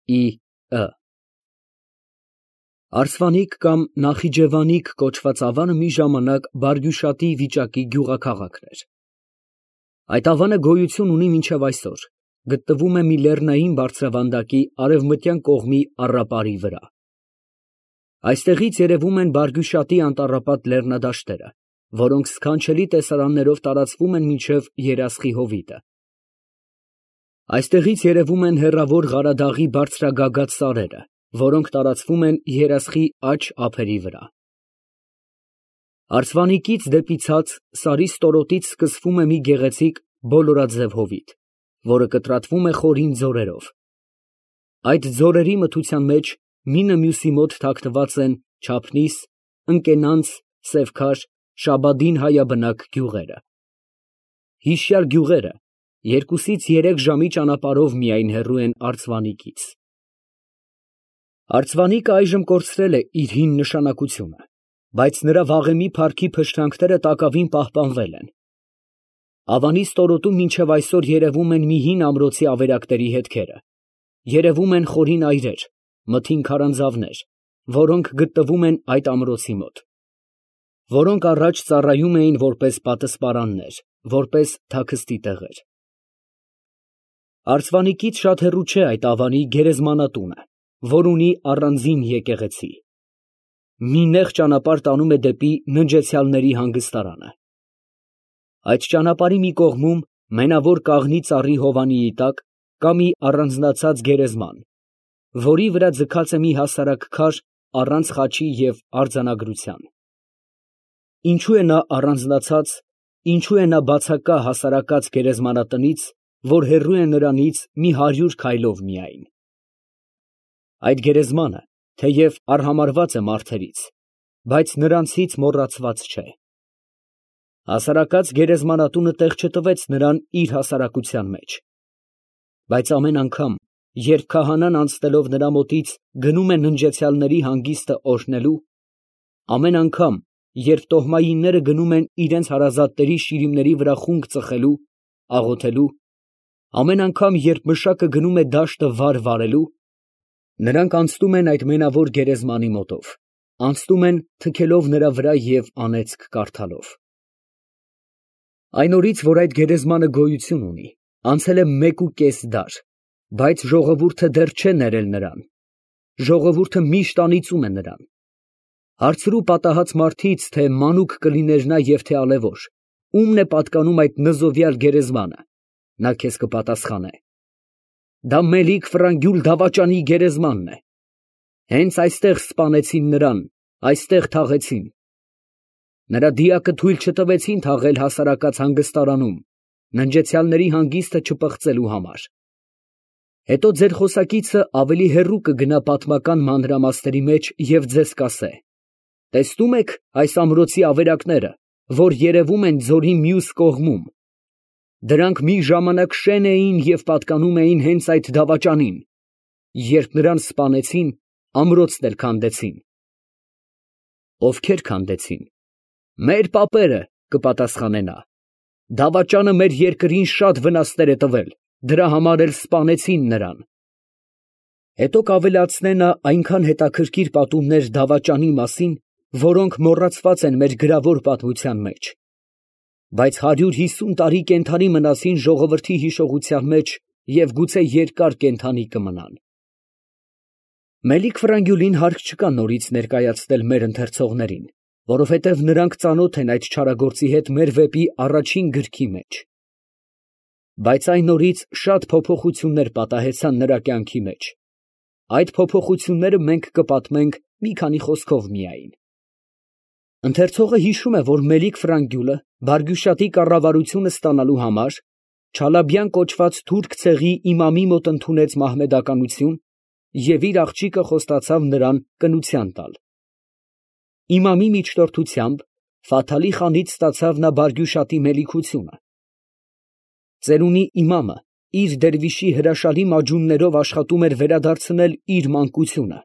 Ը Արսվանիկ կամ Նախիջևանիկ կոչված ավանը մի ժամանակ Բարգյուշատի վիճակի գյուղաքաղաքն էր։ Այդ ավանը գոյություն ունի մինչև այսօր, գտնվում է մի լեռնային բարձրավանդակի արևմտյան կողմի առապարի վրա։ Այստեղից երևում են Բարգյուշատի անտառապատ լեռնադաշտերը, որոնք սքանչելի տեսարաններով տարածվում են մինչև Երասխի հովիտը։ Այստեղից երևում են հեռավոր Ղարադաղի բարձրագագաթ սարերը, որոնք տարածվում են Երասխի աջ ափերի վրա։ Արսվանիկից դեպի ցած սարի ստորոտից սկսվում է մի գեղեցիկ բոլորաձև հովիտ, որը կտրատվում է խորին ձորերով։ Այդ ձորերի մթության մեջ մինը մյուսի մոտ թաքնված են Չափնիս, Ընկենանց, Սևքար, Շաբադին հայաբնակ գյուղերը։ Հիշյալ գյուղերը 2-3 ժամի ճանապարհով միայն հեռու են Արսվանիկից։ Արսվանիկը այժմ կորցրել է իր հին նշանակությունը, բայց նրա վաղեմի փառքի փշրանքները տակավին պահպանվել են։ Ավանի ստորոտում մինչև այսօր երևում են մի հին ամրոցի ավերակների հետքերը, երևում են խորին այրեր, մթին քարանձավներ, որոնք գտնվում են այդ ամրոցի մոտ, որոնք առաջ ծառայում էին որպես պատսպարաններ, որպես թաքստի տեղեր։ Արսվանիկից շատ հեռու չէ այդ ավանի գերեզմանատունը, որ ունի առանձին եկեղեցի։ Մի նեղ ճանապարհ տանում է դեպի ննջեցյալների հանգստարանը։ Այդ ճանապարհի մի կողմում մենավոր կաղնի ծառի հովանիի տակ կա մի առանձնացած գերեզման, որի վրա ձգած է մի հասարակ քար առանց խաչի և արձանագրության։ Ինչու է նա առանձնացած, ինչու է նա բացակա հասարակած գերեզմանատնից, որ հեռու է նրանից մի 100 քայլով միայն։ Այդ գերեզմանը, թեև արհամարհված է մարդերից, բայց նրանցից մոռացված չէ։ Հասարակած գերեզմանատունը տեղ չտվեց նրան իր հասարակության մեջ։ Բայց ամեն անգամ, երբ քահանան անցնելով նրա մոտից գնում է ննջեցյալների հանգիստը օրհնելու, ամեն անգամ, երբ տոհմայինները գնում են իրենց հարազատների շիրիմների վրա խունկ ծխելու, աղոթելու, ամեն անգամ, երբ մշակը գնում է դաշտը վար վարելու, նրանք անցնում են այդ մենավոր գերեզմանի մոտով, անցնում են թքելով նրա վրա և անեծք կարդալով։ Այն օրից, որ այդ գերեզմանը գոյություն ունի, անցել է 1.5 դար, բայց ժողովուրդը դեռ չէ ներել նրան, ժողովուրդը միշտ անիծում է նրան։ Հարցրու պատահած մարդից, թե մանուկ կլիներ նա և թե ալևոր, ումն է պատկանում այդ նզովյալ գերեզմանը, նա քեզ կպատասխանե. դա Մելիք Ֆրանգյուլ դավաճանի գերեզմանն է։ Հենց այստեղ սպանեցին նրան, այստեղ թաղեցին։ Նրա դիակը թույլ չտվեցին թաղել հասարակած հանգստարանում, ննջեցյալների հանգիստը չպղծելու համար։ Հետո ձեր խոսակիցը ավելի հեռու կգնա պատմական մանրամասների մեջ և ձեզ կասե. տեսնում եք այս ամրոցի ավերակները, որ երևում են ձորի մյուս կողմում, դրանք մի ժամանակ շեն էին և պատկանում էին հենց այդ դավաճանին, երբ նրան սպանեցին, ամրոցն էլ քանդեցին։ Ովքեր քանդեցին։ Մեր պապերը, կպատասխանե նա, դավաճանը մեր երկրին շատ վնասներ է տվել, դրա համար էլ սպանեցին նրան։ Հետո կավելացնե նա այնքան հետաքրքիր պատումներ դավաճանի մասին, որոնք մոռացված են մեր գրավոր պատմության մեջ, բայց 150 տարի կենդանի մնացին ժողովրդի հիշողության մեջ և գուցե երկար կենդանի կմնան։ Մելիք Ֆրանգյուլին հարկ չկա նորից ներկայացնել մեր ընթերցողներին, որովհետև նրանք ծանոթ են այդ չարագործի հետ մեր վեպի առաջին գրքի մեջ։ Բայց այն օրից շատ փոփոխություններ պատահեցան նրա կյանքի մեջ։ Այդ փոփոխությունները մենք կպատմենք մի քանի խոսքով միայն։ Ընթերցողը հիշում է, որ Մելիք Ֆրանգյուլը Բարգյուշատի կառավարությունը ստանալու համար Չալաբյան կոչված թուրք ցեղի իմամի մոտ ընդունեց մահմեդականություն և իր աղջիկը խոստացավ նրան կնության տալ։ Իմամի միջնորդությամբ Ֆաթալի խանից ստացավ նա Բարգյուշատի մելիքությունը։ Ծերունի իմամը իր դերվիշի հրաշալի մաջուններով աշխատում էր վերադարձնել իր մանկությունը,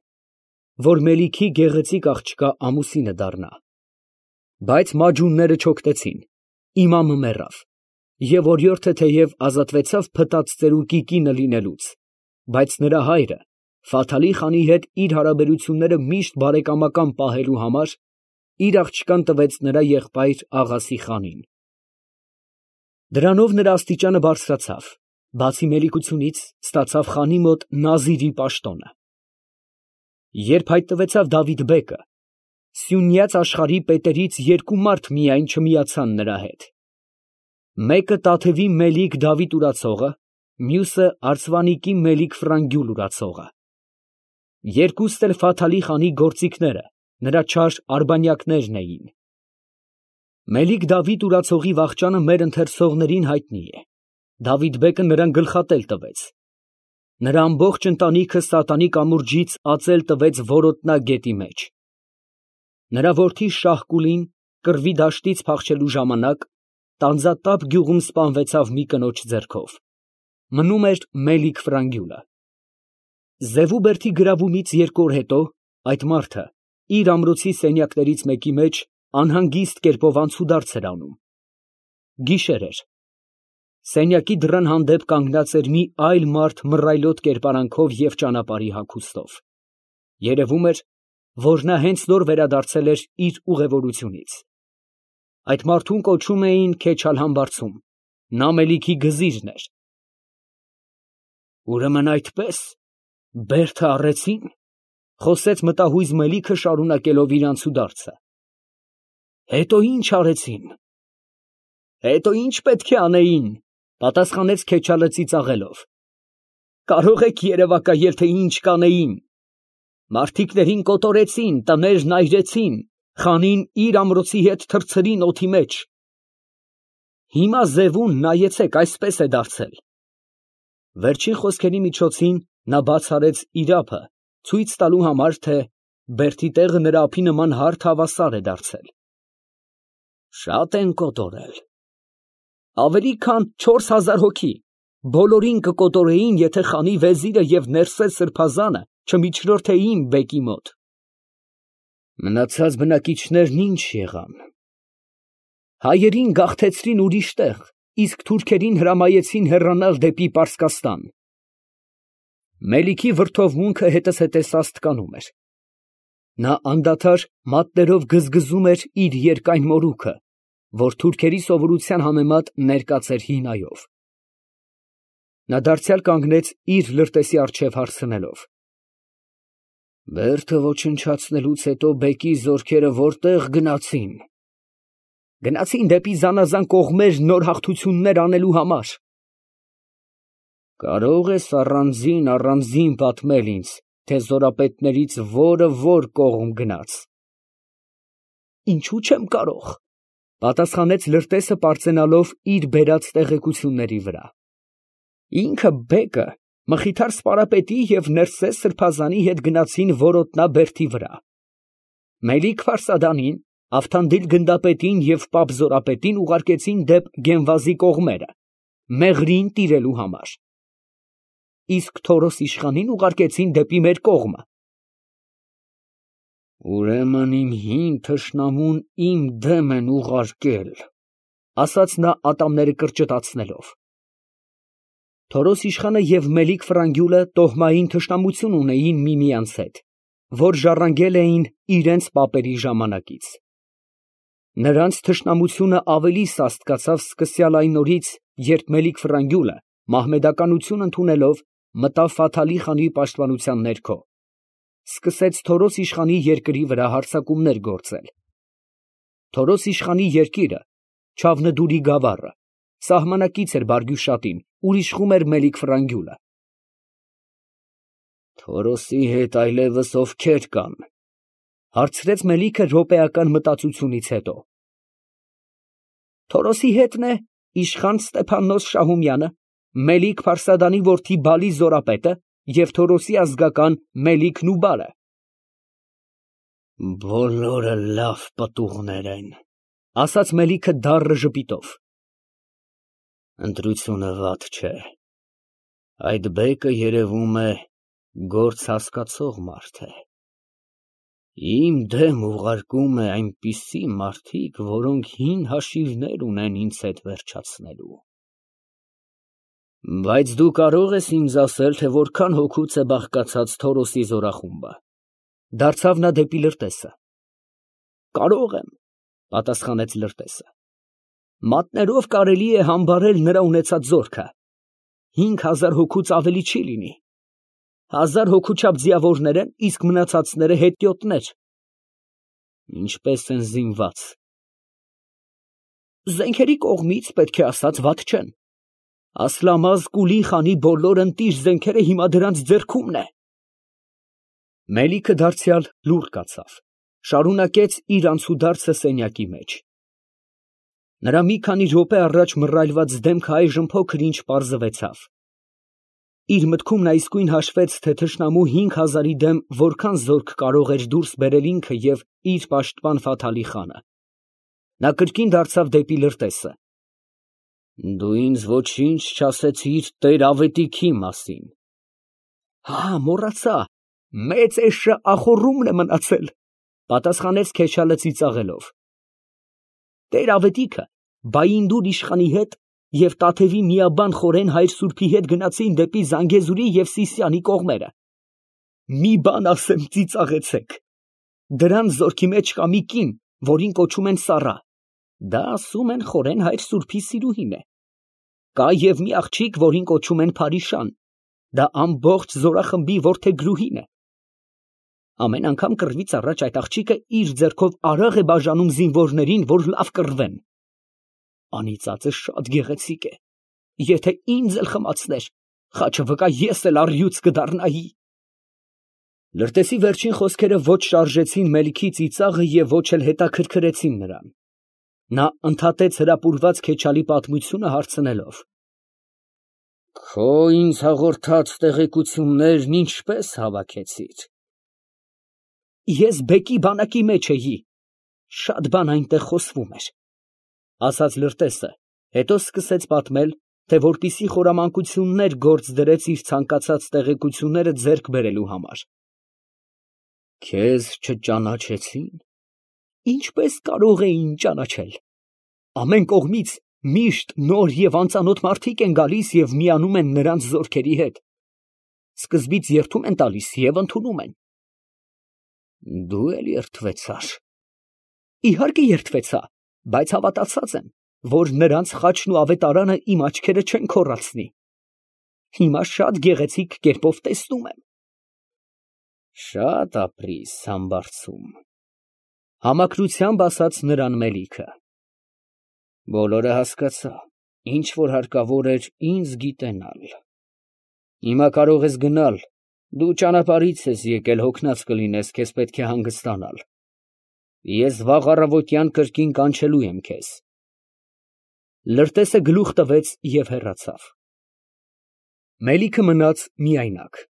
որ Մելիքի գեղեցիկ աղջկա ամուսինը դառնա։ Բայց մաջունները չօգտեցին, իմամը մեռավ, և օրիորդը թեև ազատվեցավ փտած ծերուկի կինը լինելուց, բայց նրա հայրը Ֆաթալի խանի հետ իր հարաբերությունները միշտ բարեկամական պահելու համար իր աղջկան տվեց նրա եղբայր Աղասի խանին։ Դրանով նրա աստիճանը բարձրացավ, բացի մելիքությունից ստացավ խանի մոտ նազիրի պաշտոնը։ Երբ հայտնվեցավ Դավիթ֊բեկը, սյունյաց աշխարհի պետերից երկու մարդ միայն չմիացան նրա հետ. մեկը Տաթևի Մելիք Դավիթ ուրացողը, մյուսը Արցվանիկի Մելիք Ֆրանգյուլ ուրացողը։ Երկուստ էլ Ֆաթալի խանի գործիքները, նրա չար արբանյակներն էին։ Մելիք Դավիթ ուրացողի վախճանը մեր ընթերցողներին հայտնի է։ Դավիթ֊բեկը նրան գլխատել տվեց։ Նրա ամբողջ ընտանիքը սատանի կամուրջից ածել տվեց որոտնա գետի մեջ։ Նրա որդի Շահ֊Կուլին կռվի դաշտից փախչելու ժամանակ Տանձատապ գյուղում սպանվեցավ մի կնոջ ձեռքով։ Մնում էր Մելիք Ֆրանգյուլը։ Զևու բերդի գրավումից 2 օր հետո այդ մարդը իր ամրոցի սենյակներից մեկի մեջ անհանգիստ կերպով անցուդարձ էր անում։ Գիշեր էր։ Սենյակի դռան հանդեպ կանգնած էր մի այլ մարդ մռայլոտ կերպարանքով և ճանապարհի հագուստով։ Երևում էր, որ նա հենց նոր վերադարձել էր իր ուղևորությունից։ Այդ մարդուն կոչում էին Քեչալհամբարձում, նա Մելիքի գզիրն էր։ Ուրեմն այդպես, բերդը առեցին, խոսեց մտահույզ Մելիքը շարունակելով իր անցուդարձը։ Հետո ինչ արեցին։ Հետո ինչ պետք է անեին, պատասխանեց Քեչալը ծիծաղելով։ Կարող եք երևակայել, թե ինչ կանեին։ Մարդիկներին կոտորեցին, տներն այրեցին, խանին իր ամրոցի հետ թռցրին օդի մեջ։ Հիմա Զևուն նայեցեք, այսպես է դարձել։ Վերջին խոսքերի միջոցին նա բաց արեց իր ափը, ցույց տալու համար, թե բերդի տեղը նրա ափի նման հարթ հավասար է դարձել։ Շատ են կոտորել։ Ավելի քան 4000 հոգի, բոլորին կկոտորեին, եթե խանի վեզիրը և Ներսես սրբազանը չմիջրորդեին բեկի մոտ։ Մնացած բնակիչներն ինչ եղան։ Հայերին գաղթեցրին ուրիշ տեղ, իսկ թուրքերին հրամայեցին հեռանալ դեպի Պարսկաստան։ Մելիքի վրդովմունքը հետզհետե սաստկանում էր։ Նա անդադար մատներով գզգզում էր իր երկայն մորուքը, որ թուրքերի սովորության համեմատ ներկած էր հինայով։ Նա դարձյալ կանգնեց իր լրտեսի առջև հարցնելով. Բերդը ոչնչացնելուց հետո բեկի զորքերը որտեղ գնացին։ Գնացին դեպի զանազան կողմեր նոր հաղթություններ անելու համար։ Կարող ես առանձին պատմել ինձ, թե զորապետներից որը որ կողմ գնաց։ Ինչու չեմ կարող, պատասխանեց լրտեսը պարծենալով իր բերած տեղեկությունների վրա։ Ինքը բեկը Մխիթար սպարապետի և Ներսես սրբազանի հետ գնացին որոտնա բերդի վրա։ Մելիք Ֆարսադանին, Ավթանդիլ գնդապետին և Պապ զորապետին ուղարկեցին դեպ Գենվազի կողմերը, Մեղրիին տիրելու համար։ Իսկ Թորոս իշխանին ուղարկեցին դեպի մեր կողմը։ Ուրեմն իմ հին թշնամուն իմ դեմ են ուղարկել, ասաց նա ատամները կրճտացնելով։ Թորոս իշխանը և Մելիք Ֆրանգյուլը տոհմային թշնամություն ունեին միմյանց հետ, որ ժառանգել էին իրենց պապերի ժամանակից։ Նրանց թշնամությունը ավելի սաստկացավ սկսյալ այն օրից, երբ Մելիք Ֆրանգյուլը, մահմեդականություն ընդունելով, մտավ Ֆաթալի խանի պաշտպանության ներքո, սկսեց Թորոս իշխանի երկրի վրա հարձակումներ գործել։ Թորոս իշխանի երկիրը, Չավնդուրի գավառը, սահմանակից էր Բարգյուշատին, ուր իշխում էր Մելիք Ֆրանգյուլը։ Թորոսի հետ այլևս ովքեր կան, հարցրեց Մելիքը րոպեական մտածությունից հետո։ Թորոսի հետն է իշխան Ստեփաննոս Շահումյանը, Մելիք Ֆարսադանի որդի Բալի զորապետը և Թորոսի ազգական Մելիք Նուբարը։ Բոլորը լավ պտուղներ են, ասաց Մելիքը դառն ժպիտով։ Ընտրությունը վատ չէ։ Այդ բեկը երևում է գործ հասկացող մարդ է։ Իմ դեմ ուղարկում է այնպիսի մարդիկ, որոնք հին հաշիվներ ունեն ինձ հետ վերջացնելու։ Բայց դու կարող ես ինձ ասել, թե որքան հոգուց է բաղկացած Թորոսի զորախումբը։ Դարձավ նա դեպի Լրտեսը։ Կարող եմ, պատասխանեց Լրտեսը։ Մատներով կարելի է համբարել նրա ունեցած զորքը։ 5000 հոգուց ավելի չի լինի։ 1000 հոգու չափ ձիավորներ են, իսկ մնացածները հետիոտներ։ Ինչպես են զինված։ Զենքերի կողմից, պետք է ասած, վատ չեն։ Ասլամազ Կուլի խանի բոլոր ընտիր զենքերը հիմա դրանց ձեռքումն է։ Մելիքը դարձյալ լուռ կացավ, շարունակեց իր անցուդարձը սենյակի մեջ։ Նրա մի քանի րոպե առաջ մռայլված դեմքը այժմ փոքր-ինչ պարզվեցավ։ Իր մտքում նա իսկույն հաշվեց, թե թշնամու 5000-ի դեմ որքան զորք կարող էր դուրս բերել ինքը և իր պաշտպան Ֆաթալի խանը։ Նա կրկին դարձավ դեպի Լրտեսը։ Դու ինձ ոչինչ չասեցիր Տեր-Ավետիքի մասին։ Մոռացա, մեծ էշը ախոռումն է մնացել, պատասխանեց Քեչալը ծիծաղելով։ Տեր-Ավետիքը Բայինդուր իշխանի հետ և Տաթևի միաբան Խորեն հայր սուրբի հետ գնացին դեպի Զանգեզուրի և Սիսիանի կողմերը։ Մի բան ասեմ, ծիծաղեցեք։ Դրան զորքի մեջ կա մի կին, որին կոչում են Սառա։ Դա ասում են Խորեն հայր սուրբի սիրուհին է։ Կա և մի աղջիկ, որին կոչում են Փարիշան։ Դա ամբողջ զորախմբի որդեգրուհին է։ Ամեն անգամ կռվից առաջ այդ աղջիկը իր ձեռքով արաղ է բաժանում զինվորներին, որ լավ կռվեն։ Անիծածը շատ գեղեցիկ է։ Եթե ինձ էլ խմացներ, խաչը վկա ես էլ առյուծ կդառնայի։ Լրտեսի վերջին խոսքերը ոչ շարժեցին Մելիքի ծիծաղը և ոչ էլ հետաքրքրեցին նրան։ Նա ընդհատեց հրապուրված Քեչալի պատմությունը հարցնելով. Քո ինձ հաղորդած տեղեկություններն ինչպես հավաքեցիր։ Ես բեկի բանակի մեջ էի, շատ բան այնտեղ խոսվում էր, ասաց Լրտեսը, հետո սկսեց պատմել, թե որպիսի խորամանկություններ գործ դրեց իր ցանկացած տեղեկությունները ձեռք բերելու համար։ Քեզ չճանաչեցին։ Ինչպես կարող էին ճանաչել։ Ամեն կողմից միշտ նոր և անծանոթ մարդիկ են գալիս և միանում են նրանց զորքերի հետ։ Սկզբից երդում են տալիս և ընդունում են։ Դու էլ երդվեցար։ Իհարկե երդվեցա, բայց հավատացած եմ, որ նրանց խաչն ու ավետարանը իմ աչքերը չեն քոռացնի։ Հիմա շատ գեղեցիկ կերպով տեսնում եմ։ Շատ ապրիս համբարձում, համակրությամբ ասաց նրան Մելիքը։ Բոլորը հասկացա, ինչ որ հարկավոր էր ինձ գիտենալ։ Հիմա կարող ես գնալ, դու ճանապարհից ես եկել, հոգնած կլինես, քեզ պետք է հանգստանալ։ Ես վաղ առավոտյան կրկին կանչելու եմ քեզ։ Լրտեսը գլուխ տվեց և հեռացավ։ Մելիքը մնաց միայնակ։